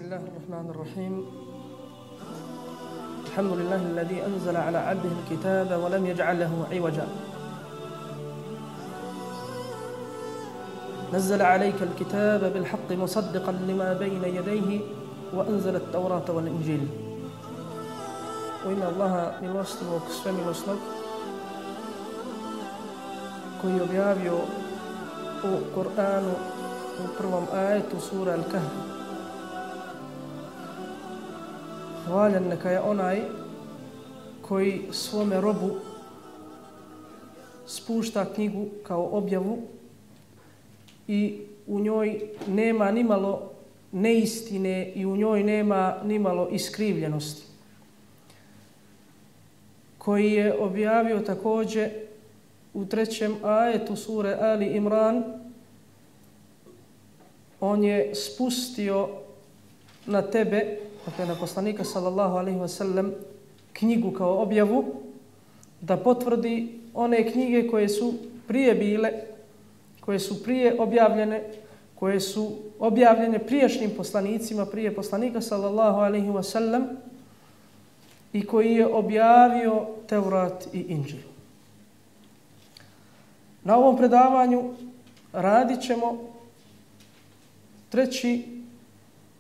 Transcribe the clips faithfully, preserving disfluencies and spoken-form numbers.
الله الرحمن الرحيم الحمد لله الذي أنزل على عبده الكتاب ولم يجعل له عوجا نزل عليك الكتاب بالحق مصدقا لما بين يديه وأنزل التوراة والإنجيل وإن الله milostivog svemilosnog koji je objavio u Kur'anu u prvom ajetu sura Al-Kahf. Hvaljen neka je onaj koji svome robu spušta knjigu kao objavu i u njoj nema nimalo neistine i u njoj nema nimalo iskrivljenosti. Koji je objavio također u trećem ajetu sure Ali Imran, on je spustio na tebe, dakle na poslanika sallallahu alejhi ve sellem, knjigu kao objavu da potvrdi one knjige koje su prije bile, koje su prije objavljene, koje su objavljene prijašnjim poslanicima, prije poslanika sallallahu alejhi ve sellem i koji je objavio Teurat i Inđil. Na ovom predavanju radit ćemo treći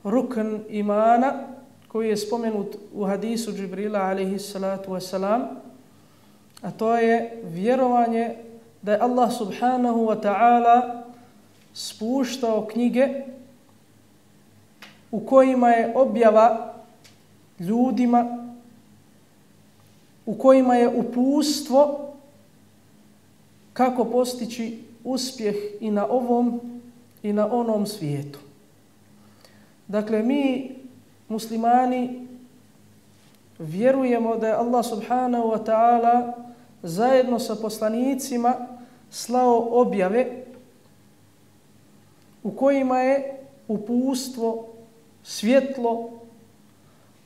rukn imana koji je spomenut u hadisu Džibrila alejhi salatu wasalam, a to je vjerovanje da je Allah subhanahu wa ta'ala spuštao knjige u kojima je objava ljudima, u kojima je uputstvo kako postići uspjeh i na ovom i na onom svijetu. Dakle, mi muslimani vjerujemo da je Allah subhanahu wa ta'ala zajedno sa poslanicima slao objave u kojima je uputstvo, svjetlo,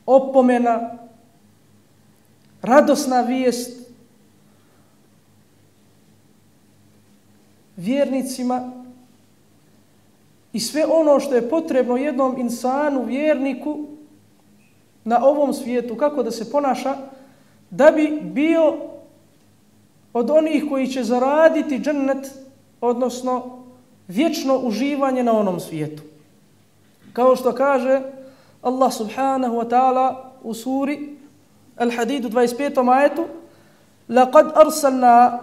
opomena, radosna vijest vjernicima i sve ono što je potrebno jednom insanu, vjerniku na ovom svijetu, kako da se ponaša da bi bio od onih koji će zaraditi džennet, odnosno vječno uživanje na onom svijetu. Kao što kaže Allah subhanahu wa ta'ala u suri Al-Hadid u dvadeset petom ajetu: لَقَدْ أَرْسَلْنَا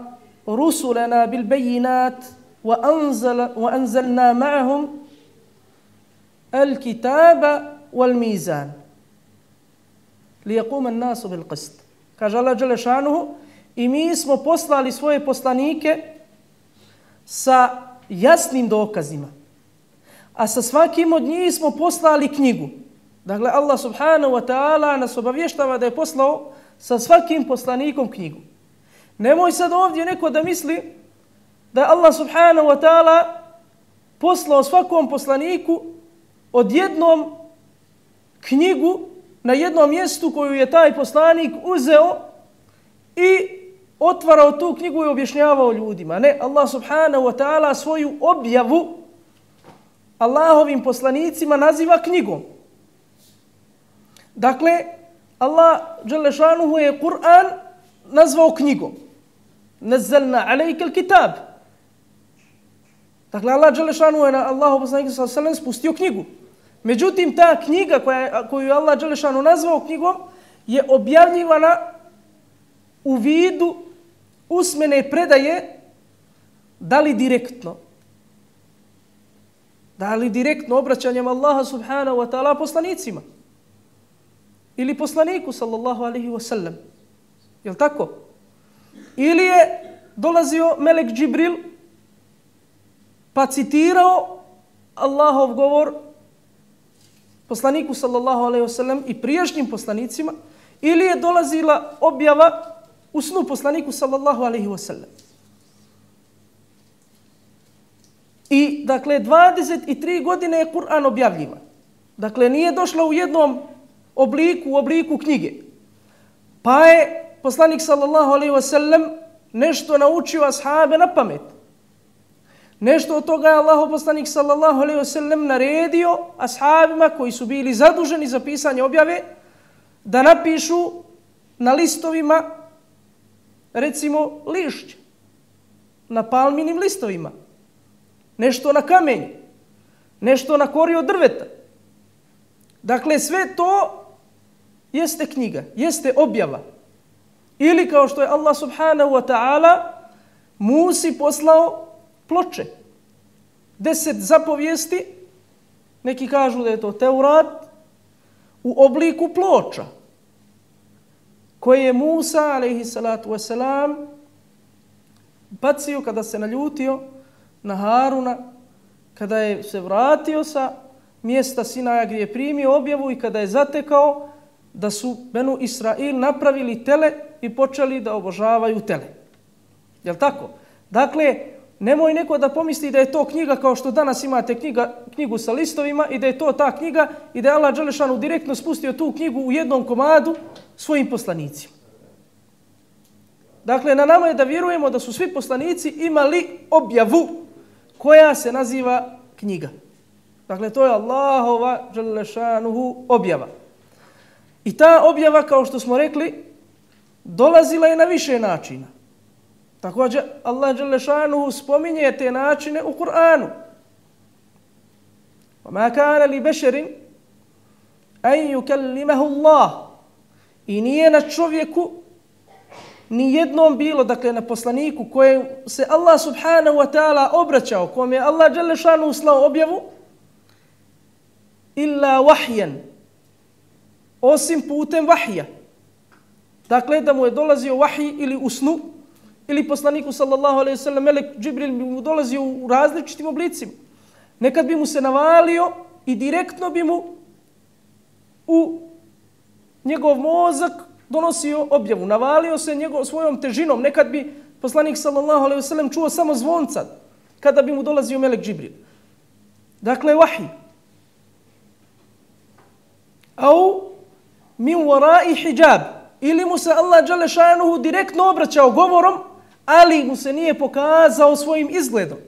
رُسُلَنَا بِالْبَيِّنَاتِ وَأَنزَلْ وَأَنزَلْنَا مَعَهُمْ الْكِتَابَ وَالْمِيزَانَ لِيَقُومَ النَّاسُ بِالْقِسْطِ. Kaže Allah dželle šanuhu, i mi smo poslali svoje poslanike sa jasnim dokazima, a sa svakim od njih smo poslali knjigu. Dakle, Allah subhanahu wa ta'ala nas obavještava da je poslao sa svakim poslanikom knjigu. Nemoj sad ovdje neko da misli da je Allah subhanahu wa ta'ala poslao svakom poslaniku odjednom knjigu na jednom mjestu koju je taj poslanik uzeo i otvarao tu knjigu i objašnjavao ljudima. Ne, Allah subhanahu wa ta'ala svoju objavu Allahovim poslanicima naziva knjigom. Dakle, Allah dželle šanuhu je Kur'an nazvao knjigom. Nazzalna alejke al-kitab. Dakle, Allah dželle šanuhu je na Allahu poslanika sallallahu alejhi ve sellem spustio knjigu. Međutim, ta knjiga koja, koju je Allah dželle šanuhu nazvao knjigom je objavljivana u vidu usmene predaje, da li direktno, da li direktno obraćanjem Allaha subhanahu wa ta'ala poslanicima ili poslaniku sallallahu alaihi wa sallam. Jel tako? Ili je dolazio melek Džibril pa citirao Allahov govor poslaniku sallallahu alaihi wa sallam i prijašnjim poslanicima, ili je dolazila objava u snu poslaniku sallallahu alaihi wa sallam. I dakle, dvadeset tri godine je Kur'an objavljivan. Dakle, nije došlo u jednom obliku, u obliku knjige. Pa je poslanik sallallahu alejhi ve sellem nešto naučio ashabe na pamet. Nešto od toga je Allahov poslanik sallallahu alejhi ve sellem naredio ashabima koji su bili zaduženi za pisanje objave da napišu na listovima, recimo, lišće, na palminim listovima, nešto na kamenju, nešto na kori od drveta. Dakle, sve to jeste knjiga, jeste objava. Ili kao što je Allah subhanahu wa ta'ala Musi poslao ploče. Deset zapovijesti, neki kažu da je to Teurat, u obliku ploča, koje je Musa, alejhi salatu wasalam, bacio kada se naljutio na Haruna, kada je se vratio sa mjesta Sinaja gdje je primio objavu i kada je zatekao da su Benu Israil napravili tele i počeli da obožavaju tele. Jel tako? Dakle, nemoj neko da pomisli da je to knjiga kao što danas imate knjiga, knjigu sa listovima i da je to ta knjiga i da je Allah dželešanu direktno spustio tu knjigu u jednom komadu svojim poslanicima. Dakle, na nama je da vjerujemo da su svi poslanici imali objavu koja se naziva knjiga. Dakle, to je Allahova dželešanuhu objava. I ta objava, kao što smo rekli, dolazila je na više načina. Također, Allah dželešanuhu spominje te načine u Kur'anu. وَمَا كَانَ لِبَشَرٍ أَنْ يُكَلِّمَهُ اللَّهُ. I nije na čovjeku ni jednom bilo, dakle na poslaniku kojem se Allah subhanahu wa ta'ala obraćao, kome je Allah dželešanuhu slao objavu, illa wahyan, osim putem vahija. Dakle, da mu je dolazio vahij ili u snu, ili poslaniku sallallahu alejhi ve sellem melek Džibril bi mu dolazio u različitim oblicima. Nekad bi mu se navalio i direktno bi mu u njegov mozak donosio objavu. Navalio se njegov svojom težinom. Nekad bi poslanik sallallahu alejhi ve sellem čuo samo zvonca kada bi mu dolazio melek Džibril. Dakle, vahij. Au min wara'i hijab. Ili mu se Allah dželle šanuhu direktno obraćao govorom, ali mu se nije pokazao svojim izgledom.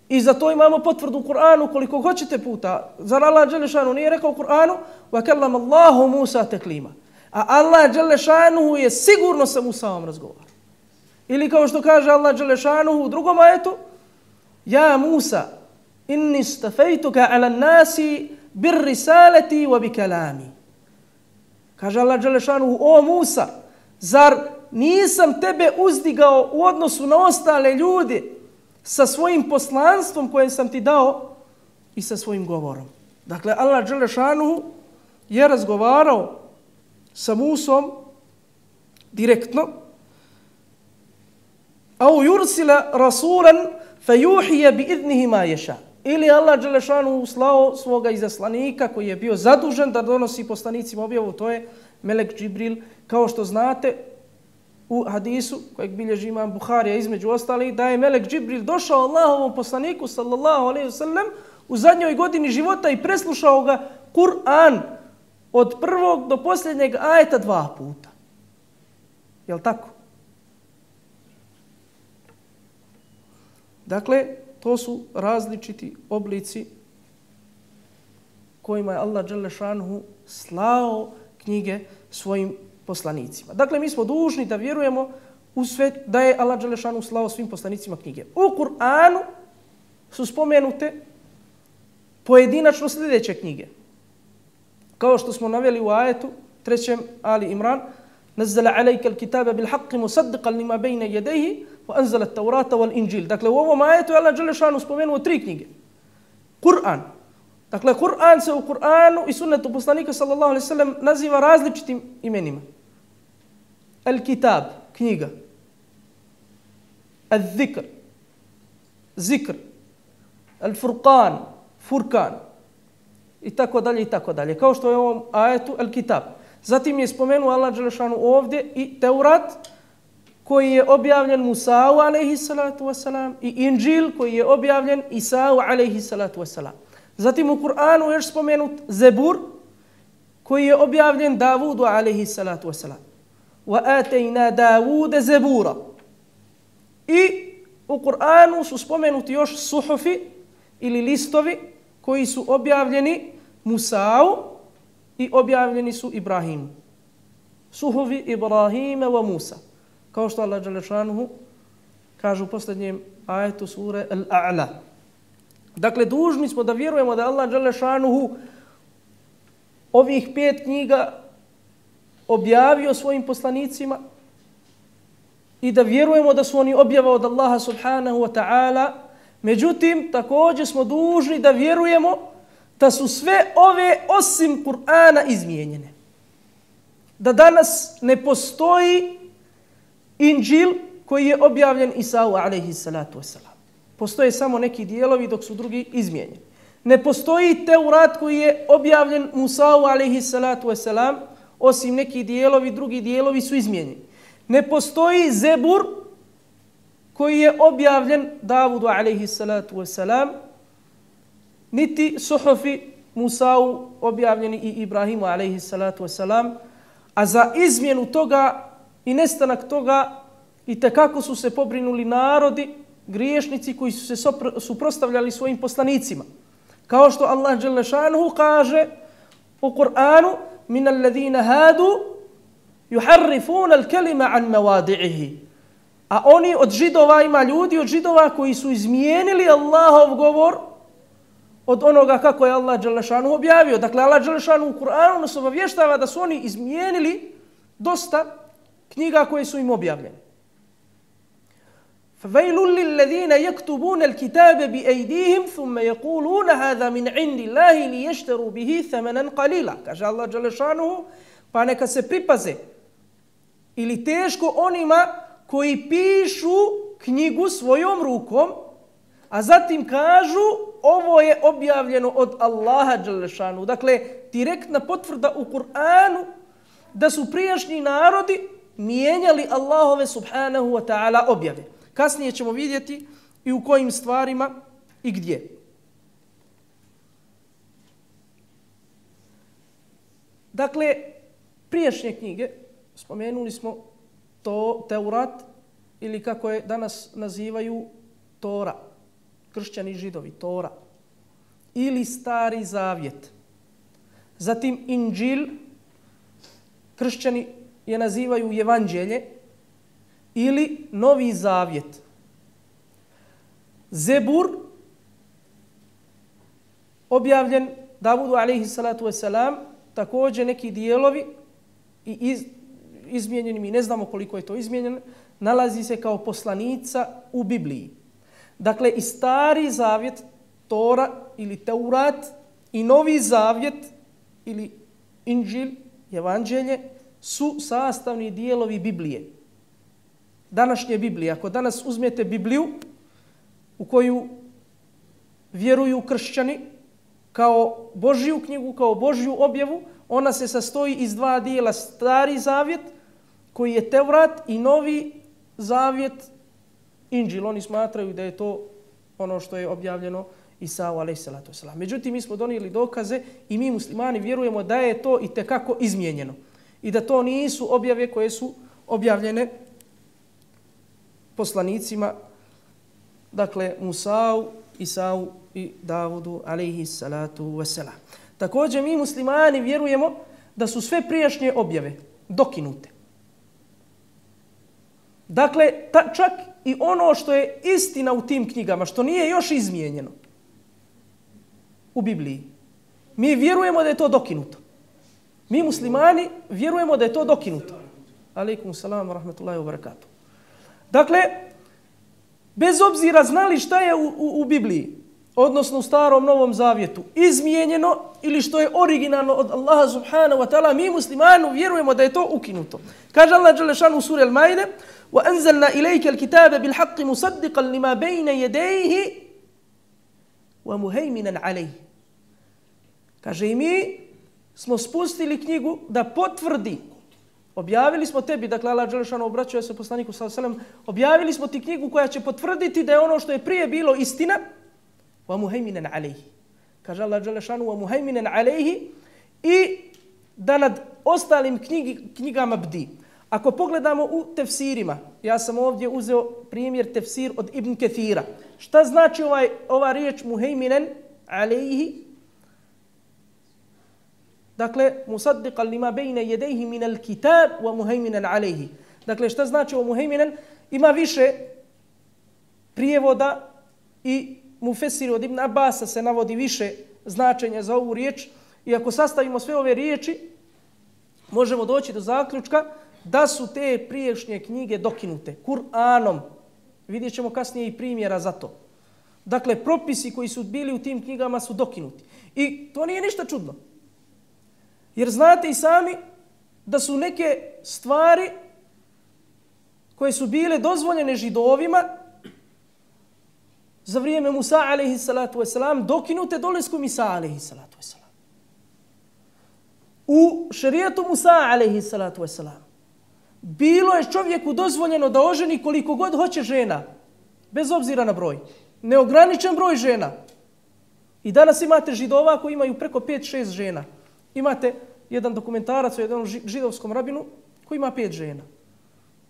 I za to imamo potvrdu u Kur'anu koliko hoćete puta. Zar Allah dželle šanuhu nije rekao u Kur'anu wa kallama Allahu Musa taklima. A Allah dželle šanuhu je sigurno sa Musaom razgovarao. Ili kao što kaže Allah dželle šanuhu u drugom ajetu, ja Musa inni stafejtuka ala nasi bir risalati wa bi kalami. Kaže Allah dželle šanuhu, o Musa, zar nisam tebe uzdigao u odnosu na ostale ljude sa svojim poslanstvom koje sam ti dao i sa svojim govorom. Dakle, Allah dželle šanuhu je razgovarao sa Musom direktno. Au yursila rasulan fajuhije bi idnihi ma ješa. Ili Allah dželle šanuhu slao svoga izaslanika koji je bio zadužen da donosi poslanicima objavu, to je melek Džibril. Kao što znate u hadisu kojeg bilježi imam Buharija između ostalih, da je melek Džibril došao Allahovom poslaniku sallallahu alejhi ve sellem u zadnjoj godini života i preslušao ga Kur'an od prvog do posljednjeg ajeta dva puta. Jel tako? Dakle, to su različiti oblici kojima je Allah dželle šanuhu slao knjige svojim poslanicima. Dakle, mi smo dužni da vjerujemo u sve da je Allah dželle šanuhu slao svim poslanicima knjige. U Kur'anu su spomenute pojedinačno sljedeće knjige. Kao što smo naveli u ajetu trećem Ali Imran, nazzala alayka al-kitaba bil haqqi musaddiqan lima bayna yadayhi wa anzala at-taurata wal injil. Dakle, u ovom ajetu je Allah dželle šanuhu spomenuo tri knjige. Kur'an. Dakle, Kur'an se u Kur'anu i sunnetu poslanika sallallahu alejhi ve sellem naziva različitim imenima. Al-kitab, knjiga. Al-zikr, zikr. Al-furqan, furkan. I tako dalje, i tako dalje. Kao što je u ovom ajetu Al-kitab. Zatim je spomenuo Allah dželle šanuhu ovdje i Teurat, koji je objavljen Musa'u alejhi salatu wasalam, i Inđil koji je objavljen Isa'u alejhi salatu wasalam. Zatim u Kur'anu još spomenut Zebur koji je objavljen Davudu alejhi salatu wasalam. Wa atayna Davuda Zebura. I u Kur'anu su spomenuti još suhufi ili listovi koji su objavljeni Musa'u i objavljeni su Ibrahimu. Suhufi Ibrahima wa Musa. Kao što Allah dželle šanuhu kaže u posljednjem ajetu sure Al-A'la. Dakle, dužni smo da vjerujemo da Allah dželle šanuhu ovih pet knjiga objavio svojim poslanicima i da vjerujemo da su oni objava od Allaha subhanahu wa ta'ala. Međutim, također smo dužni da vjerujemo da su sve ove osim Kur'ana izmijenjene. Da danas ne postoji Inđil koji je objavljen Isau alejhi salatu vesselam. Postoje samo neki dijelovi dok su drugi izmijenjeni. Ne postoji Teurat koji je objavljen Musau alejhi salatu vesselam, osim neki dijelovi, drugi dijelovi su izmijenjeni. Ne postoji Zebur koji je objavljen Davudu alejhi salatu vesselam, niti suhufi Musau objavljeni i Ibrahimu alejhi salatu vesselam, a za izmjenu toga i nestanak toga i tekako su se pobrinuli narodi, griješnici koji su se suprotstavljali svojim poslanicima. Kao što Allah dželle šanuhu kaže u Kur'anu: min alladhina hadu yuharrifuna al-kalima an mawadi'ihi. A oni od židova, ima ljudi od židova koji su izmijenili Allahov govor od onoga kako je Allah dželle šanuhu objavio. Dakle, Allah dželle šanuhu u Kur'anu nas obavještava da su oni izmijenili dosta knjiga koje su im objavljene. فَوَيْلٌ لِلَّذِينَ يَكْتُبُونَ الْكِتَابَ بِأَيْدِيهِمْ ثُمَّ يَقُولُونَ هَذَا مِنْ عِنْدِ اللَّهِ لِيَشْتَرُوا بِهِ ثَمَنًا قَلِيلًا. Kaže Allah dželle šanuhu, pa neka se pripaze ili teško onima koji pišu knjigu svojom rukom, a zatim kažu ovo je objavljeno od Allaha dželle šanuhu. Dakle, direktna potvrda u Kur'anu da su prijašnji narodi mijenjali Allahove subhanahu wa ta'ala objave. Kasnije ćemo vidjeti i u kojim stvarima i gdje. Dakle, prijašnje knjige, spomenuli smo to Teurat ili kako je danas nazivaju Tora, kršćani i židovi, Tora, ili Stari Zavjet. Zatim Inđil, kršćani je nazivaju Evanđelje, ili Novi Zavjet. Zebur, objavljen Davudu alejhi salatu vesselam, također neki dijelovi i iz, izmijenjeni, mi ne znamo koliko je to izmijenjeno, nalazi se kao poslanica u Bibliji. Dakle, i Stari Zavjet, Tora ili Teurat, i Novi Zavjet ili Inđil, Evanđelje, su sastavni dijelovi Biblije. Današnje Biblije. Ako danas uzmete Bibliju u koju vjeruju kršćani kao Božju knjigu, kao Božju objavu, ona se sastoji iz dva dijela: Stari Zavjet koji je Tevrat i Novi Zavjet Inđil. Oni smatraju da je to ono što je objavljeno Isau alejhi salatu vesselam. Međutim, mi smo donijeli dokaze i mi muslimani vjerujemo da je to itekako izmijenjeno i da to nisu objave koje su objavljene poslanicima, dakle Musau, Isau i Davudu alejhi salatu vesselam. Također mi muslimani vjerujemo da su sve prijašnje objave dokinute. Dakle, ta, čak i ono što je istina u tim knjigama, što nije još izmijenjeno u Bibliji, mi vjerujemo da je to dokinuto. Mi muslimani vjerujemo da je to dokinuto. Alejkum salam wa rahmatullahi wa barakatuh. Dakle, bez obzira znali šta je u, u, u Bibliji, odnosno u Starom Novom Zavjetu, izmijenjeno ili što je originalno od Allaha subhanahu wa ta'ala, mi muslimani vjerujemo da je to ukinuto. Kaže Allah dželle šanuhu u suri Al-Maide: وَأَنزَلْنَا إِلَيْكَ الْكِتَابَ بِالْحَقِّ مُصَدِّقًا لِمَا بَيْنَ يَدَيْهِ وَمُهَيْمِنًا عَلَيْهِ. Kaže, i mi smo spustili knjigu da potvrdi. Objavili smo tebi, dakle Allah dželle šanuhu obraćao se poslaniku sallallahu alejhi ve sellem, objavili smo ti knjigu koja će potvrditi da je ono što je prije bilo istina. Wa muhaiminan alayhi. Kaže Allah dželle šanuhu wa muhaiminan alayhi, i da nad ostalim knjigi, knjigama bdi. Ako pogledamo u tefsirima, ja sam ovdje uzeo primjer tefsir od Ibn Kathira. Šta znači ovaj, ova riječ muheiminen alejhi? Dakle, musaddiqan lima bejne jedejhi minal kitab wa muheiminen alejhi. Dakle, šta znači ovo muheiminen? Ima više prijevoda i mufesiri od Ibn Abasa se navodi više značenja za ovu riječ. I ako sastavimo sve ove riječi, možemo doći do zaključka da su te priješnje knjige dokinute Kur'anom. Vidjet ćemo kasnije i primjera za to. Dakle, propisi koji su bili u tim knjigama su dokinuti. I to nije ništa čudno. Jer znate i sami da su neke stvari koje su bile dozvoljene Židovima za vrijeme Musa alejhi salatu vesselam dokinute dolaskom Isa alejhi salatu vesselam. U šerijetu Musa alejhi salatu vesselam bilo je čovjeku dozvoljeno da oženi koliko god hoće žena, bez obzira na broj. Neograničen broj žena. I danas imate Židova koji imaju preko pet šest žena. Imate jedan dokumentarac o jednom židovskom rabinu koji ima pet žena.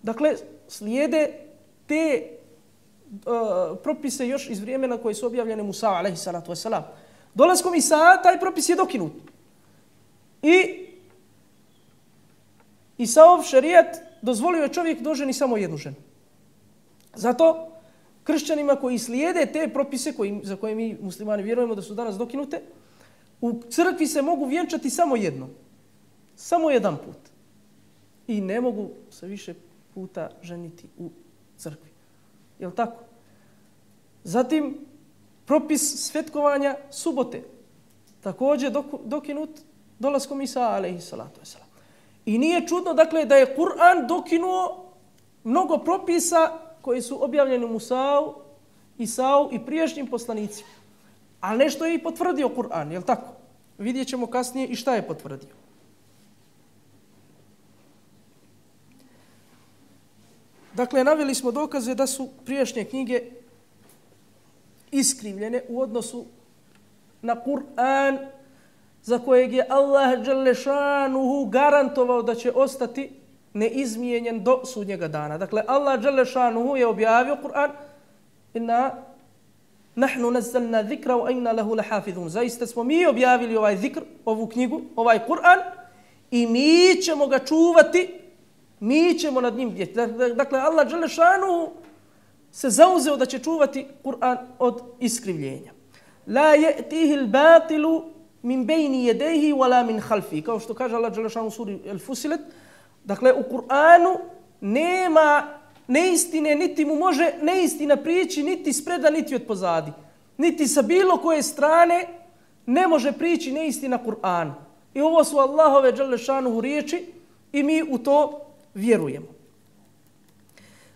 Dakle, slijede te uh, propise još iz vremena koje su objavljene Musa alejhi salatu vesselam. Dolaskom Isa taj propis je dokinut. I Isaov šerijat dozvolio je čovjek da oženi samo jednu ženu. Zato kršćanima koji slijede te propise koji, za koje mi muslimani vjerujemo da su danas dokinute, u crkvi se mogu vjenčati samo jedno. Samo jedan put. I ne mogu se više puta ženiti u crkvi. Je li tako? Zatim, propis svetkovanja subote. Također dokinut dolaskom Isa alejhi salatu vesselam. I nije čudno, dakle, da je Kur'an dokinuo mnogo propisa koji su objavljeni Musau, Isau i prijašnjim poslanicima. Ali nešto je i potvrdio Kur'an, je li tako? Vidjet ćemo kasnije i šta je potvrdio. Dakle, naveli smo dokaze da su prijašnje knjige iskrivljene u odnosu na Kur'an, za kojeg je Allah dželešanuhu garantovao da će ostati neizmijenjen do sudnjega dana. Dakle, Allah dželešanuhu je objavio Kur'an: Inna nahnu nazzalna zikra wa inna lahu lahafizun. Zaista smo mi objavili ovaj zikr, ovu knjigu, ovaj Kur'an i mi ćemo ga čuvati, mi ćemo nad njim bdjeti. Dakle, Allah dželešanuhu se zauzeo da će čuvati Kur'an od iskrivljenja. La ya'tihi al-batilu min bejni jedejhi wala min halfi. Kao što kaže Allah dželešanu u suri El-Fusilet. Dakle, u Kur'anu nema neistine, niti mu može neistina prići, niti spreda, niti od pozadi. Niti sa bilo koje strane ne može prići neistina Kur'anu. I ovo su Allahove dželešanu riječi i mi u to vjerujemo.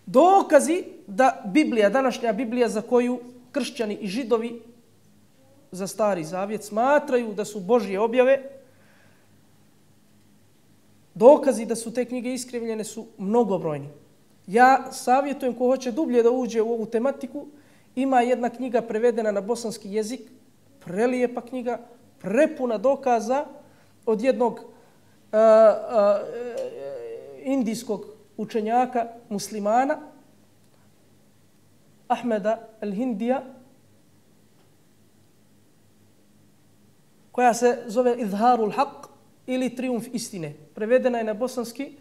Dokazi da Biblija, današnja Biblija za koju kršćani i židovi za Stari Zavjet smatraju da su Božje objave, dokazi da su te knjige iskrivljene su mnogobrojni. Ja savjetujem ko hoće dublje da uđe u ovu tematiku, ima jedna knjiga prevedena na bosanski jezik, prelijepa knjiga, prepuna dokaza od jednog uh, uh, indijskog učenjaka muslimana, Ahmeda al-Hindija, koja se zove Izharul Haq ili Triumf istine. Prevedena je na bosanski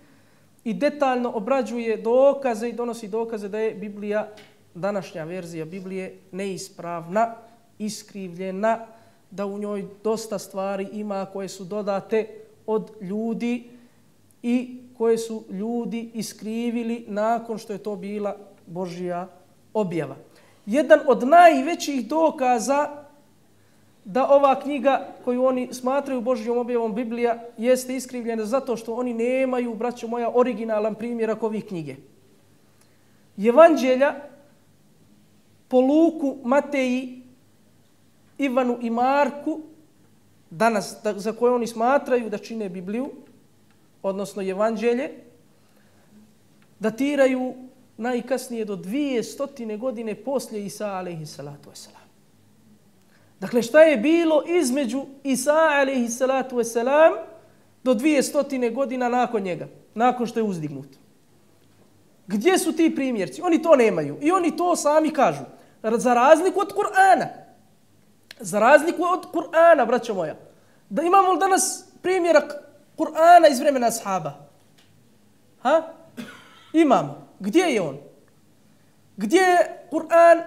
i detaljno obrađuje dokaze i donosi dokaze da je Biblija, današnja verzija Biblije, neispravna, iskrivljena, da u njoj dosta stvari ima koje su dodate od ljudi i koje su ljudi iskrivili nakon što je to bila Božja objava. Jedan od najvećih dokaza da ova knjiga koju oni smatraju Božjom objavom Biblija jeste iskrivljena zato što oni nemaju, braćo moja, originalan primjerak ovih knjige. Evanđelja po Luku, Mateji, Ivanu i Marku, danas za koje oni smatraju da čine Bibliju, odnosno Evanđelje, datiraju najkasnije do dvije stotine godine poslije Isa alejhi salatu vesselam. Dakle, šta je bilo između Isa alejhi salatu vesselam do dvije stotine godina nakon njega? nakon što je uzdignut. Gdje su ti primjerci? Oni to nemaju. I oni to sami kažu. Za razliku od Kur'ana. Za razliku od Kur'ana, braćo moja. Da imamo li danas primjerak Kur'ana iz vremena ashaba? Ha? Imamo. Gdje je on? Gdje je Kur'an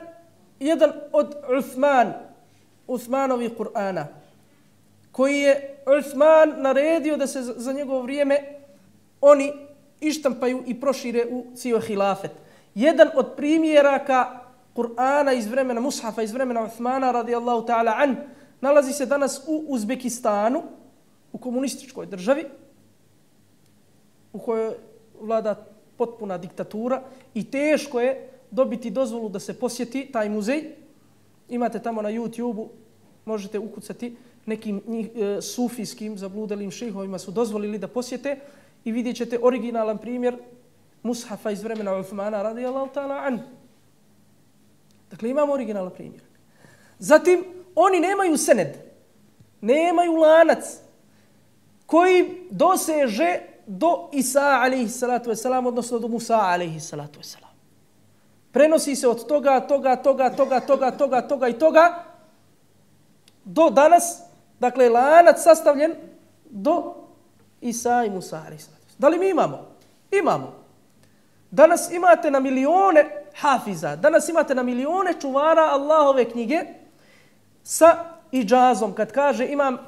jedan od Uthman, Uthmanovih Kur'ana, koji je Uthman naredio da se za njegovo vrijeme oni ištampaju i prošire u cijel hilafet. Jedan od primjeraka Kur'ana iz vremena Mushafa, iz vremena Uthmana radijallahu ta'ala an, nalazi se danas u Uzbekistanu, u komunističkoj državi, u kojoj vlada potpuna diktatura i teško je dobiti dozvolu da se posjeti taj muzej. Imate tamo na YouTubeu, možete ukucati, nekim njih, e, sufijskim zabludelim šejhovima su dozvolili da posjete i vidjet ćete originalan primjer Mushafa iz vremena Uthmana radijallahu ta'ala an. Dakle, imamo originalan primjer. Zatim, oni nemaju sened, nemaju lanac koji doseže do Isa alaihi salatu wasalam, odnosno do Musa alaihi salatu wasalam. Prenosi se od toga, toga, toga, toga, toga, toga, toga i toga do danas, dakle, lanac sastavljen do Isa i Musa alaihi salatu wasalam. Da li mi imamo? Imamo. Danas imate na milione hafiza, danas imate na milione čuvara Allahove knjige sa iđazom. Kad kaže imam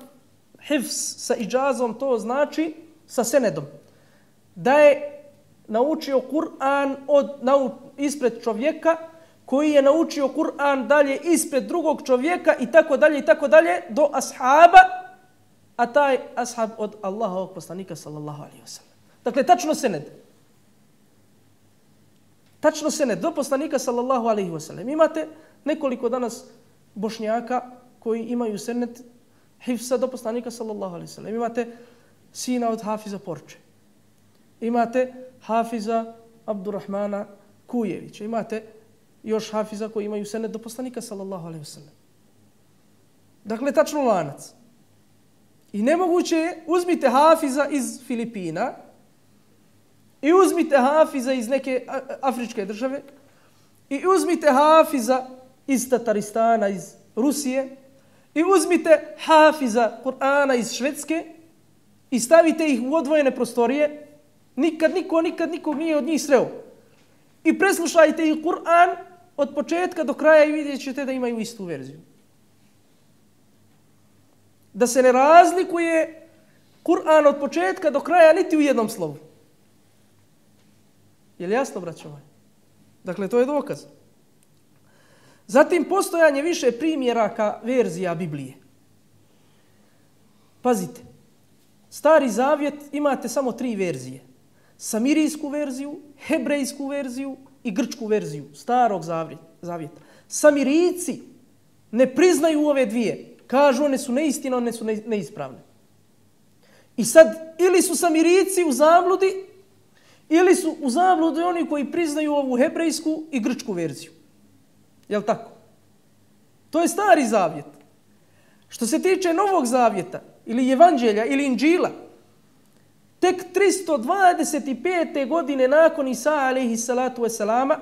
hifz sa iđazom, to znači sa senedom. Da je naučio Kur'an od, nau, ispred čovjeka koji je naučio Kur'an dalje ispred drugog čovjeka i tako dalje i tako dalje do ashaba, a taj ashab od Allahovog poslanika sallallahu alejhi ve sellem. Dakle, tačno sened. Tačno sened do poslanika sallallahu alejhi ve sellem. Imate nekoliko danas Bošnjaka koji imaju sened hifsa do poslanika sallallahu alejhi ve sellem. Imate sina od Hafiza Porče. Imate Hafiza Abdurrahmana Kujevića. Imate još Hafiza koji imaju sened do poslanika sallallahu alejhi ve sellem. Dakle, tačno lanac. I nemoguće je, uzmite Hafiza iz Filipina i uzmite Hafiza iz neke afričke države i uzmite Hafiza iz Tataristana, iz Rusije i uzmite Hafiza Kur'ana iz Švedske i stavite ih u odvojene prostorije. Nikad niko, nikad nikog nije od njih sreo. I preslušajte ih Kur'an od početka do kraja i vidjet ćete da imaju istu verziju. Da se ne razlikuje Kur'an od početka do kraja niti u jednom slovu. Je li jasno, braćo moji? Dakle, to je dokaz. Zatim, postojanje više primjeraka verzija Biblije. Pazite, Stari Zavjet imate samo tri verzije. Samirijsku verziju, hebrejsku verziju i grčku verziju Starog Zavjeta. Samirijci ne priznaju ove dvije. Kažu, one su neistina, one su neispravne. I sad, ili su Samirijci u zabludi, ili su u zabludi oni koji priznaju ovu hebrejsku i grčku verziju. Jel' tako? To je Stari Zavjet. Što se tiče Novog Zavjeta, ili Evanđelja, ili Inđila, tek tristo dvadeset pete. godine nakon Isa alejhi salatu wasalama,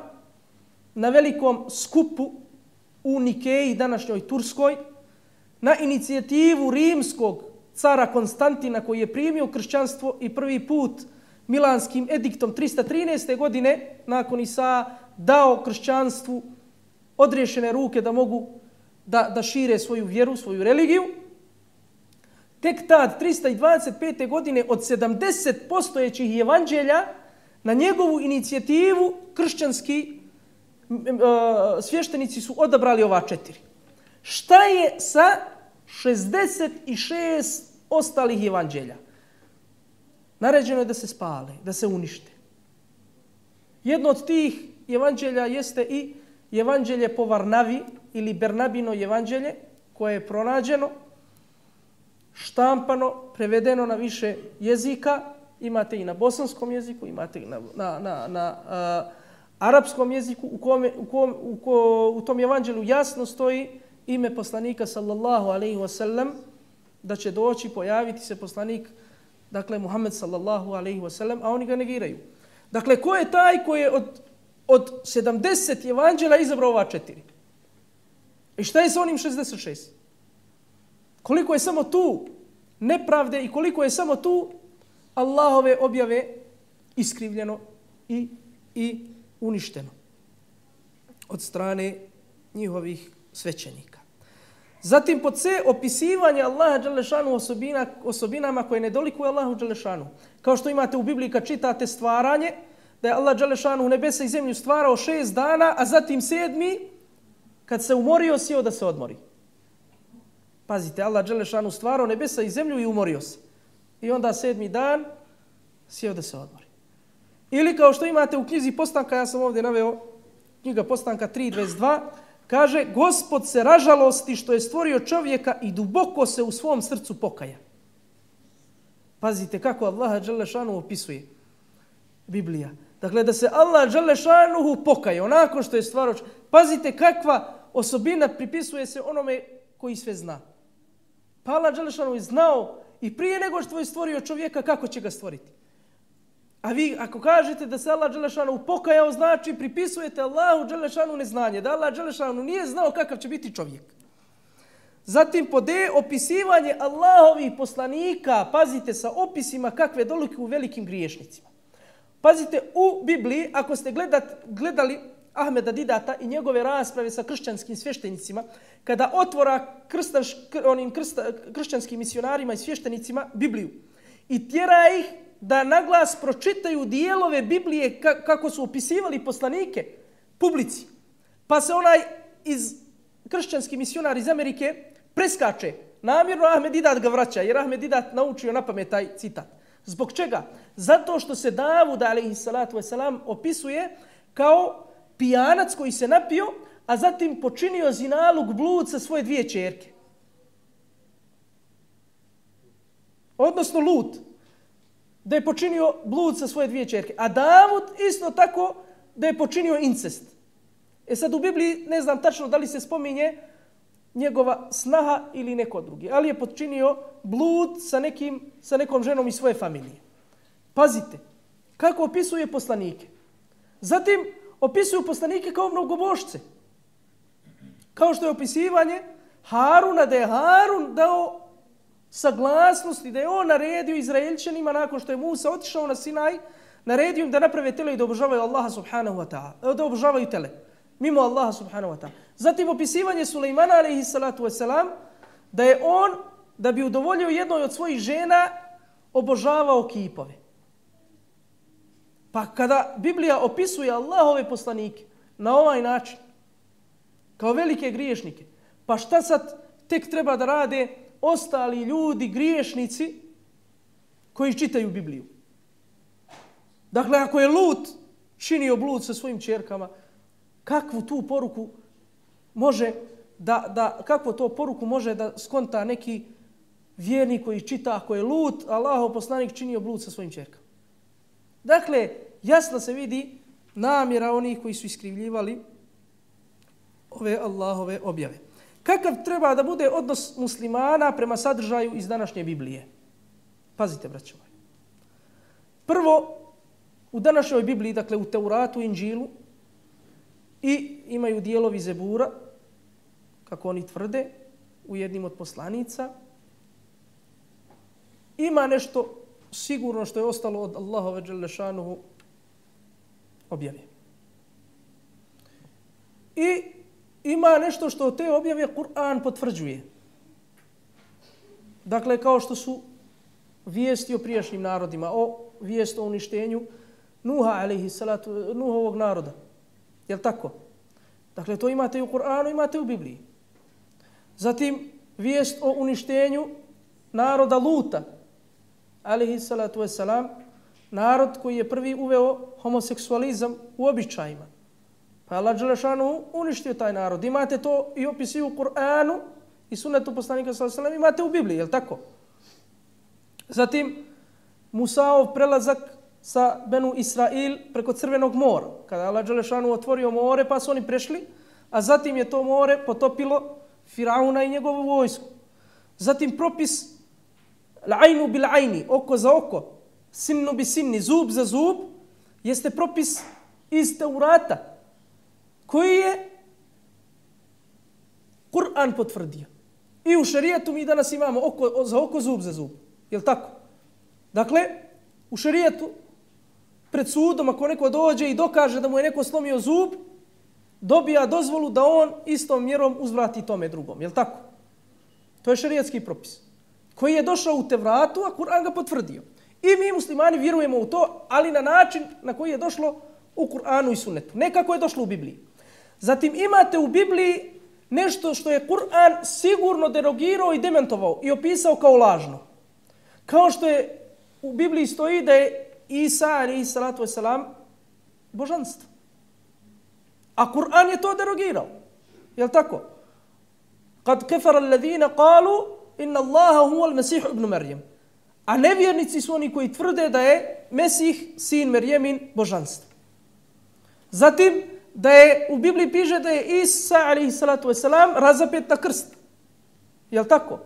na velikom skupu u Nikeji, današnjoj Turskoj, na inicijativu rimskog cara Konstantina koji je primio kršćanstvo i prvi put Milanskim ediktom tristo trinaeste. godine nakon Isa dao kršćanstvu odriješene ruke da mogu da, da šire svoju vjeru, svoju religiju. Tek tad, tristo dvadeset pete. godine, od sedamdeset postojećih evanđelja, na njegovu inicijativu kršćanski uh, svještenici su odabrali ova četiri. Šta je sa šezdeset šest ostalih evanđelja? Naređeno je da se spale, da se unište. Jedno od tih evanđelja jeste i evanđelje po Varnavi ili Bernabino evanđelje, koje je pronađeno, štampano, prevedeno na više jezika. Imate i na bosanskom jeziku, imate i na, na, na, na uh, arapskom jeziku, u, kome, u, kom, u, ko, u tom evanđelju jasno stoji ime poslanika sallallahu alejhi ve sellem, da će doći, pojaviti se poslanik Dakle, Muhammed sallallahu alaihi wa sallam, a oni ga negiraju. Dakle, ko je taj koji je od, od sedamdeset evanđela izabrao ova četiri? I šta je sa onim šezdeset šest? Koliko je samo tu nepravde i koliko je samo tu Allahove objave iskrivljeno i, i uništeno od strane njihovih svećenika. Zatim pod C, opisivanje Allaha dželešanu osobina, osobinama koje ne dolikuju Allahu dželešanu. Kao što imate u Bibliji kad čitate stvaranje, da je Allah dželešanu nebesa i zemlju stvarao šest dana, a zatim sedmi, kad se umorio, sjeo da se odmori. Pazite, Allah dželešanu stvarao nebesa i zemlju i umorio se. I onda sedmi dan sjeo da se odmori. Ili kao što imate u knjizi Postanka, ja sam ovdje naveo, knjiga Postanka tri dvadeset dva, kaže, Gospod se ražalosti što je stvorio čovjeka i duboko se u svom srcu pokaja. Pazite kako Allah dželešanu opisuje Biblija. Dakle, da se Allah dželešanu pokaja onako što je stvarao čovjeka. Pazite kakva osobina pripisuje se onome koji sve zna. Pa Allah dželešanu je znao i prije nego što je stvorio čovjeka, kako će ga stvoriti. A vi ako kažete da se Allah dželešanu pokajao, znači pripisujete Allahu dželešanu neznanje, da Allah dželešanu nije znao kakav će biti čovjek. Zatim pod D, opisivanje Allahovih poslanika, pazite sa opisima kakve dolike u velikim griješnicima. Pazite u Bibliji, ako ste gledat, gledali Ahmeda Didata i njegove rasprave sa kršćanskim sveštenicima, kada otvora krstaš, onim krsta, kršćanskim misionarima i sveštenicima Bibliju i tjera ih da naglas pročitaju dijelove Biblije kako su opisivali poslanike publici. Pa se onaj iz kršćanski misionar iz Amerike preskače. Namjerno Ahmed Didat ga vraća, jer Ahmed Didat naučio na pamet taj citat. Zbog čega? Zato što se Davud alejhi salatu vesselam opisuje kao pijanac koji se napio, a zatim počinio zinaluk, blud sa svoje dvije ćerke. Odnosno Lut, da je počinio blud sa svoje dvije ćerke. A Davud isto tako da je počinio incest. E sad u Bibliji ne znam tačno da li se spominje njegova snaha ili neko drugi, ali je počinio blud sa, nekim, sa nekom ženom iz svoje familije. Pazite, kako opisuje poslanike. Zatim opisuju poslanike kao mnogobošce. Kao što je opisivanje Haruna, da je Harun dao saglasnost i da je on naredio Izraelčanima nakon što je Musa otišao na Sinaj, naredio im da naprave tele i da obožavaju Allaha subhanahu wa ta'ala, da obožavaju tele, mimo Allaha subhanahu wa ta'ala. Zatim opisivanje Sulejmana alejhi salatu vesselam, da je on, da bi udovoljio jednoj od svojih žena, obožavao kipove. Pa kada Biblija opisuje Allahove poslanike na ovaj način, kao velike griješnike, pa šta sad tek treba da rade ostali ljudi, griješnici, koji čitaju Bibliju? Dakle, ako je Lut činio blud sa svojim ćerkama, kakvu tu poruku može da, da, kakvu to poruku može da skonta neki vjernik koji čita ako je Lut, Allahov poslanik, činio blud sa svojim ćerkama? Dakle, jasno se vidi namjera onih koji su iskrivljivali ove Allahove objave. Kakav treba da bude odnos muslimana prema sadržaju iz današnje Biblije? Pazite, braćo moji. Prvo, u današnjoj Bibliji, dakle u Teuratu, Inđilu, i imaju dijelovi Zebura, kako oni tvrde, u jednim od poslanica, ima nešto sigurno što je ostalo od Allahove dželešanuhu objave. I ima nešto što te objave Kur'an potvrđuje. Dakle, kao što su vijesti o prijašnjim narodima, o vijest o uništenju Nuha, alejhi salatu, Nuhovog naroda. Jel' tako? Dakle, to imate i u Kur'anu, imate i u Bibliji. Zatim, vijest o uništenju naroda Luta, alejhi salatu vesselam, narod koji je prvi uveo homoseksualizam u običajima. Pa Allah dželešanu uništio taj narod. Imate to i opisi u Kur'anu i sunnetu poslanika sallallahu alejhi ve sellem, imate u Bibliji, jel' tako? Zatim, Musaov prelazak sa Benu Israil preko Crvenog mora. Kada Allah dželešanu otvorio more, pa su oni prešli, a zatim je to more potopilo Firauna i njegovu vojsku. Zatim propis l'ajnu bil ajni, oko za oko, sinnu bi sinni, zub za zub, jeste propis iz Teurata, koji je Kur'an potvrdio. I u šerijetu mi danas imamo oko za oko, zub za zub. Jel tako? Dakle, u šerijetu pred sudom ako neko dođe i dokaže da mu je neko slomio zub, dobija dozvolu da on istom mjerom uzvrati tome drugom. Jel tako? To je šerijetski propis koji je došao u Tevratu, a Kur'an ga potvrdio. I mi muslimani vjerujemo u to, ali na način na koji je došlo u Kur'anu i sunnetu. Ne kako je došlo u Bibliji. Zatim imate u Bibliji nešto što je Kur'an sigurno derogirao i dementovao i opisao kao lažno. Kao što je u Bibliji stoji da je Isa, alejhi salatu vesselam, božanstvo. A Kur'an je to derogirao. Jel tako? Kad kefara alladhina qalu inna Allaha huwa al-Masih ibn Maryam. A nevjernici su oni koji tvrde da je Mesih, sin Merjemin, božanstvo. Zatim, da je u Bibliji piše da je Isa, alejhi salatu vesselam, razapet na krst. Jel tako?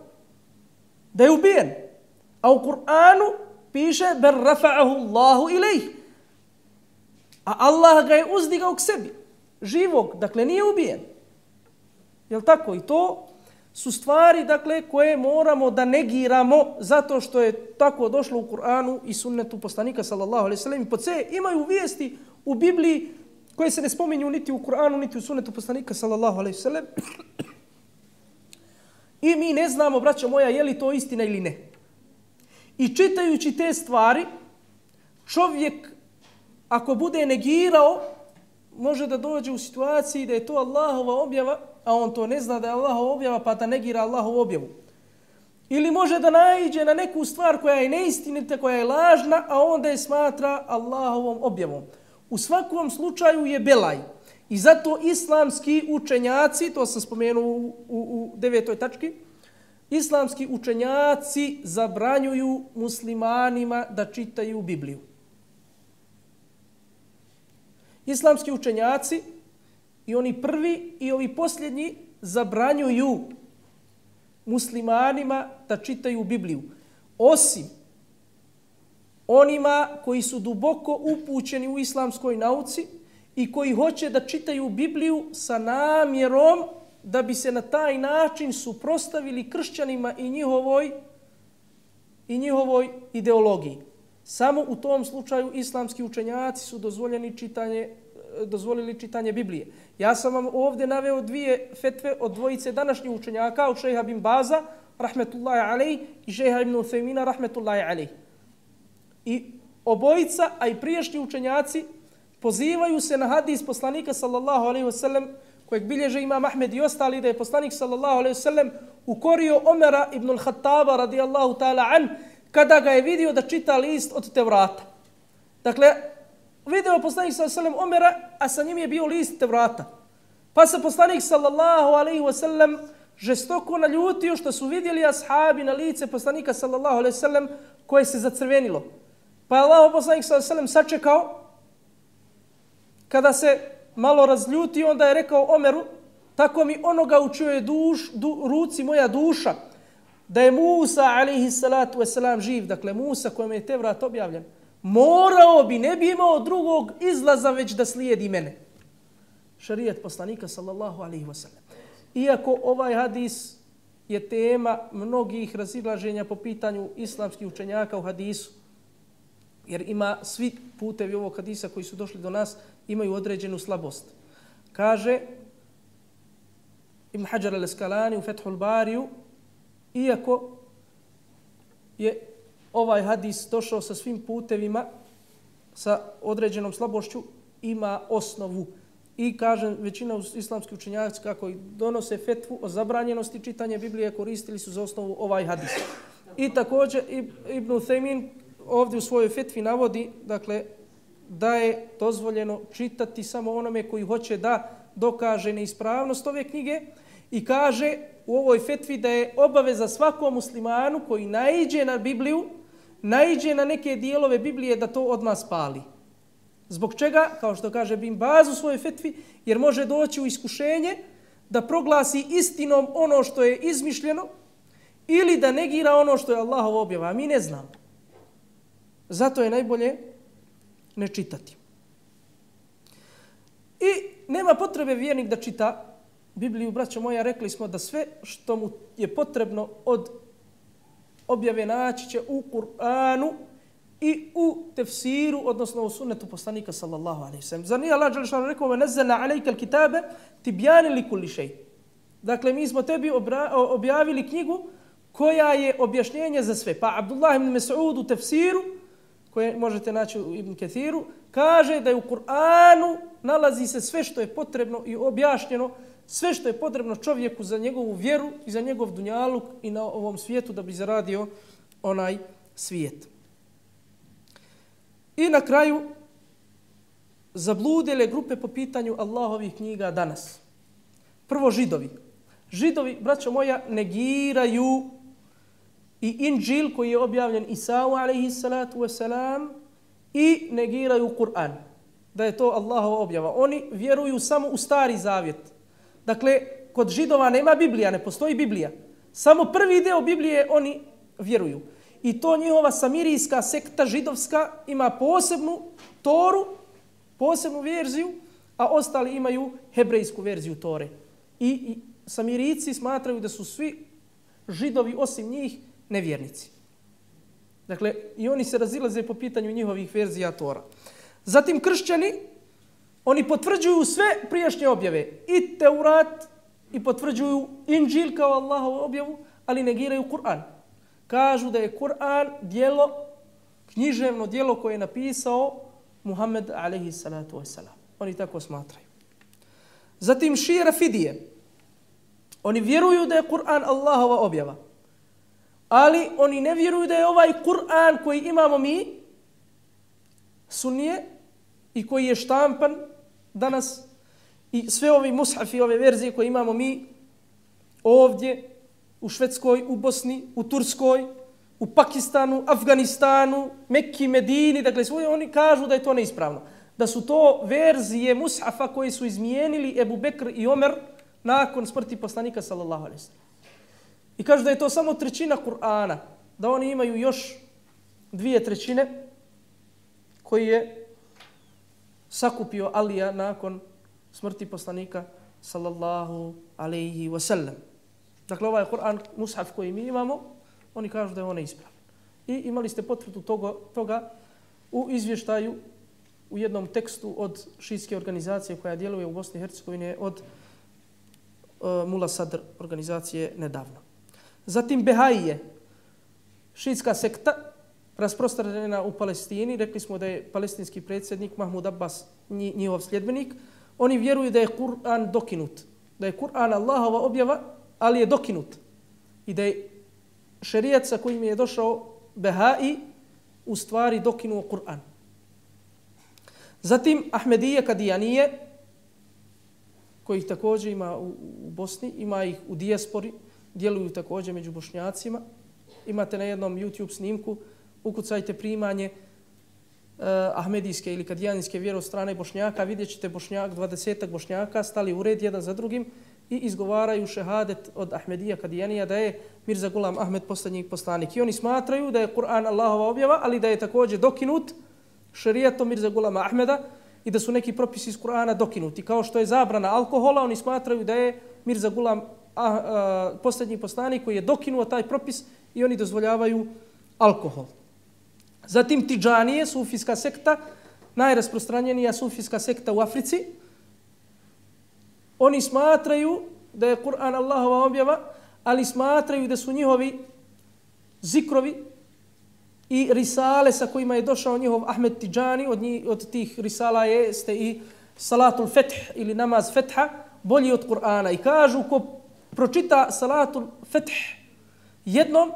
Da je ubijen. A u Kur'anu piše ber rafa'ahu Allahu ilejh. A Allah ga je uzdigao k sebi. Živog, dakle nije ubijen. Jel tako? I to su stvari, dakle, koje moramo da negiramo zato što je tako došlo u Kur'anu i sunnetu poslanika sallallahu alejhi ve sellem. Po C imaju vijesti u Bibliji koje se ne spominju niti u Kur'anu, niti u sunnetu poslanika sallallahu alejhi ve sellem. I mi ne znamo, braćo moja, je li to istina ili ne. I čitajući te stvari, čovjek, ako bude negirao, može da dođe u situaciji da je to Allahova objava, a on to ne zna da je Allahova objava, pa da negira Allahovu objavu. Ili može da naiđe na neku stvar koja je neistinita, koja je lažna, a onda je smatra Allahovom objavom. U svakom slučaju je belaj. I zato islamski učenjaci, to sam spomenuo u, u, u devetoj tački, islamski učenjaci zabranjuju muslimanima da čitaju Bibliju. Islamski učenjaci, i oni prvi i ovi posljednji, zabranjuju muslimanima da čitaju Bibliju. Osim onima koji su duboko upućeni u islamskoj nauci i koji hoće da čitaju Bibliju sa namjerom da bi se na taj način suprotstavili kršćanima i njihovoj, i njihovoj ideologiji. Samo u tom slučaju islamski učenjaci su dozvoljeni čitanje, dozvolili čitanje Biblije. Ja sam vam ovdje naveo dvije fetve od dvojice današnjih učenjaka, od šejha bin Baza, rahmetullahi alejhi, i šejha ibn Uthejmina, rahmetullahi alejhi. I obojica, a i prijašnji učenjaci, pozivaju se na hadis poslanika sallallahu alejhi ve sellem, kojeg bilježe Imam Ahmed i ostali, da je poslanik sallallahu alejhi ve sellem ukorio Omera ibn al-Khattaba radijallahu ta'ala an, kada ga je vidio da čita list od Tevrata. Dakle, video poslanik sallallahu alejhi ve sellem Omera, a sa njim je bio list Tevrata. Pa se poslanik sallallahu alejhi ve sellem žestoko naljutio što su vidjeli ashabi na lice poslanika sallallahu alejhi ve sellem koje se zacrvenilo. Pa je Allah poslanik sallallahu alejhi ve sellem sačekao. Kada se malo razljutio, onda je rekao Omeru, tako mi onoga u čijoj duš, du, ruci moja duša, da je Musa alejhi salatu vesselam živ, dakle Musa kojem je Tevrat objavljen, morao bi, ne bi imao drugog izlaza već da slijedi mene. Šarijet poslanika sallallahu alejhi ve sellem. Iako ovaj hadis je tema mnogih razilaženja po pitanju islamskih učenjaka u hadisu, jer ima svi putevi ovog hadisa koji su došli do nas imaju određenu slabost. Kaže Ibn Hajar al-Asqalani u Fethul Bariju, iako je ovaj hadis došao sa svim putevima, sa određenom slabošću, ima osnovu. I kažem, većina islamskih učenjaka kako donose fetvu o zabranjenosti čitanja Biblije koristili su za osnovu ovaj hadis. I također Ibn Uthejmin ovdje u svojoj fetvi navodi, dakle, da je dozvoljeno čitati samo onome koji hoće da dokaže neispravnost ove knjige i kaže u ovoj fetvi da je obaveza svakom muslimanu koji naiđe na Bibliju, naiđe na neke dijelove Biblije da to odmah spali. Zbog čega? Kao što kaže Bin Baz u svojoj fetvi, jer može doći u iskušenje da proglasi istinom ono što je izmišljeno ili da negira ono što je Allahova objava, a mi ne znamo. Zato je najbolje ne čitati. I nema potrebe vjernik da čita Bibliju, braćo moja, rekli smo da sve što mu je potrebno od objave naći će u Kur'anu i u tefsiru, odnosno u sunnetu poslanika sallallahu alejhi ve sellem. Zar nije Allah dželle šanuhu rekao: "Ve nazzalna alejka al-kitabe tibyanan li kulli shay." Dakle, mi smo tebi objavili knjigu koja je objašnjenje za sve. Pa Abdullah ibn Mas'ud u tefsiru, koje možete naći u Ibn Kathiru, kaže da je u Kur'anu nalazi se sve što je potrebno i objašnjeno, sve što je potrebno čovjeku za njegovu vjeru i za njegov dunjaluk i na ovom svijetu da bi zaradio onaj svijet. I na kraju, zabludile grupe po pitanju Allahovih knjiga danas. Prvo židovi. Židovi, braćo moja, negiraju i Inđil koji je objavljen Isau alejhi salatu wasalam i negiraju Kur'an, da je to Allahova objava. Oni vjeruju samo u Stari Zavjet. Dakle, kod Židova nema Biblija, ne postoji Biblija. Samo prvi deo Biblije oni vjeruju. I to njihova samirijska sekta židovska ima posebnu Toru, posebnu verziju, a ostali imaju hebrejsku verziju Tore. I, i Samirijci smatraju da su svi Židovi osim njih nevjernici. Dakle, i oni se razilaze po pitanju njihovih verzija Tora. Zatim kršćani, oni potvrđuju sve prijašnje objave. I Teurat, i potvrđuju Inđil kao Allahovu objavu, ali negiraju Kur'an. Kažu da je Kur'an djelo, književno djelo koje je napisao Muhammed alejhi salatu wasalam. Oni tako smatraju. Zatim šije Rafidije. Oni vjeruju da je Kur'an Allahova objava. Ali oni ne vjeruju da je ovaj Kur'an koji imamo mi, sunnije, i koji je štampan danas, i sve ovi mushafi, ove verzije koje imamo mi ovdje, u Švedskoj, u Bosni, u Turskoj, u Pakistanu, Afganistanu, Mekki, Medini, dakle svoje, oni kažu da je to neispravno. Da su to verzije mushafa koji su izmijenili Ebu Bekr i Omer nakon smrti poslanika sallallahu alejhi ve sellem. I kažu da je to samo trećina Kur'ana, da oni imaju još dvije trećine koji je sakupio Alija nakon smrti poslanika sallallahu alejhi ve sellem. Dakle, ovaj Kur'an, mushaf koji mi imamo, oni kažu da je on neispravan. I imali ste potvrdu toga, toga u izvještaju u jednom tekstu od šijske organizacije koja djeluje u Bosni i Hercegovini, od uh, Mula Sadr organizacije nedavno. Zatim Behaije, šijska sekta, rasprostranjena u Palestini. Rekli smo da je palestinski predsjednik Mahmud Abbas njihov sljedbenik. Oni vjeruju da je Kur'an dokinut, da je Kur'an Allahova objava, ali je dokinut. I da je šerijat sa kojim je došao Behai u stvari dokinuo Kur'an. Zatim Ahmedije Kadijanije, kojih također ima u, u Bosni, ima ih u dijaspori, djeluju također među Bošnjacima. Imate na jednom YouTube snimku, ukucajte primanje uh, Ahmedijske ili Kadijanijske vjere od strane Bošnjaka, vidjet ćete Bošnjak, dvadesetak Bošnjaka stali u red jedan za drugim i izgovaraju šehadet od Ahmedija Kadijanija da je Mirza Gulam Ahmed posljednji poslanik. I oni smatraju da je Kur'an Allahova objava, ali da je također dokinut šerijatom Mirza Gulama Ahmeda i da su neki propisi iz Kur'ana dokinuti. Kao što je zabrana alkohola, oni smatraju da je Mirza Gulam a, a, posljednji poslanik koji je dokinuo taj propis i oni dozvoljavaju alkohol. Zatim Tidžanije, sufijska sekta, najrasprostranjenija sufijska sekta u Africi. Oni smatraju da je Kur'an Allahova objava, ali smatraju da su njihovi zikrovi i risale sa kojima je došao njihov Ahmed Tidžani, od, njih, od tih risala jeste i Salatul Feth ili namaz Fetha, bolji od Kur'ana. I kažu ko pročita Salatul Feth jednom,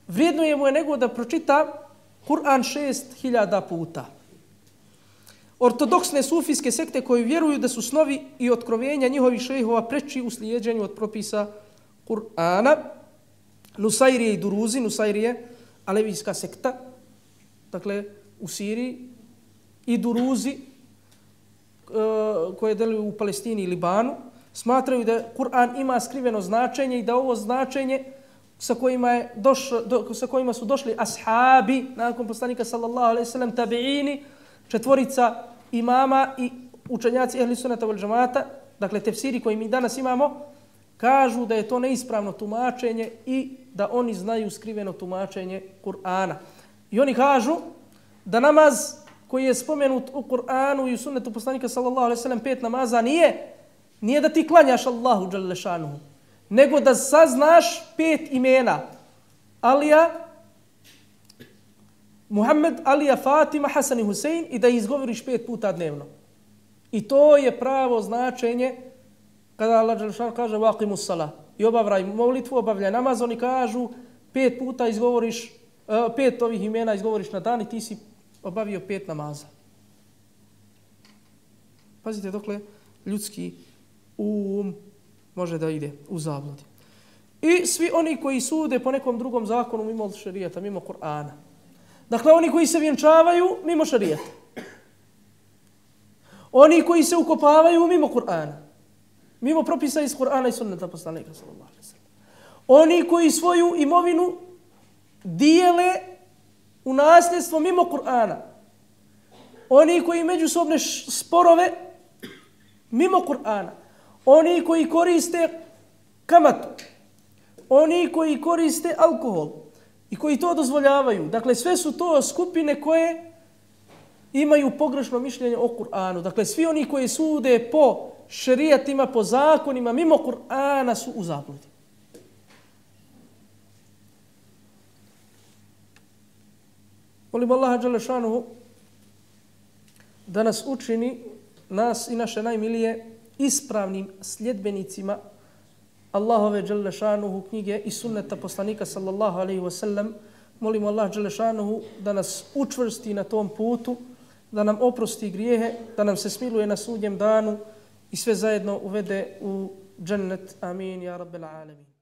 vrijednuje mu je nego da pročita Kur'an šest hiljada puta. Ortodoksne sufijske sekte koji vjeruju da su snovi i otkrovenja njihovih šejhova preči u slijeđenju od propisa Kur'ana. Nusairije i Duruzi, Nusairije, alevijska sekta, dakle u Siriji, i Duruzi koje deluju u Palestini i Libanu, smatraju da Kur'an ima skriveno značenje i da ovo značenje sa kojima, je došlo, do, sa kojima su došli ashabi, nakon poslanika sallallahu alejhi ve sellem, tabiini, četvorica imama i učenjaci ehli sunnata wal džamata, dakle tefsiri koji mi danas imamo, kažu da je to neispravno tumačenje i da oni znaju skriveno tumačenje Kur'ana. I oni kažu da namaz koji je spomenut u Kur'anu i u sunnetu poslanika sallallahu alejhi ve sellem, pet namaza, nije, nije da ti klanjaš Allahu dželle šanuhu, nego da saznaš pet imena. Alija, Muhammed, Alija, Fatima, Hasan i Husein i da izgovoriš pet puta dnevno. I to je pravo značenje kada Allah dželle šanuhu kaže vaqimus salah i obavljaj molitvu, obavljaj namaz, oni kažu pet puta izgovoriš, pet ovih imena izgovoriš na dan i ti si obavio pet namaza. Pazite dokle ljudski um može da ide u zabludi. I svi oni koji sude po nekom drugom zakonu mimo šerijata, mimo Kur'ana. Dakle, oni koji se vjenčavaju mimo šerijata. Oni koji se ukopavaju mimo Kur'ana. Mimo propisa iz Kur'ana i sunneta poslanika sallallahu alejhi ve sellem. Oni koji svoju imovinu dijele u nasljedstvo mimo Kur'ana. Oni koji međusobne sporove mimo Kur'ana. Oni koji koriste kamatu. Oni koji koriste alkohol i koji to dozvoljavaju. Dakle, sve su to skupine koje imaju pogrešno mišljenje o Kur'anu. Dakle, svi oni koji sude po šerijatima, po zakonima, mimo Kur'ana su u zabludi. Molim Allaha dželle šanuhu da nas učini, nas i naše najmilije, ispravnim sljedbenicima Allahove dželle šanuhu knjige i sunneta poslanika sallallahu alejhi ve sellem. Molimo Allah dželle šanuhu da nas učvrsti na tom putu, da nam oprosti grijehe, da nam se smiluje na sudnjem danu i sve zajedno uvede u džennet. Amin, ja rabbel alamin.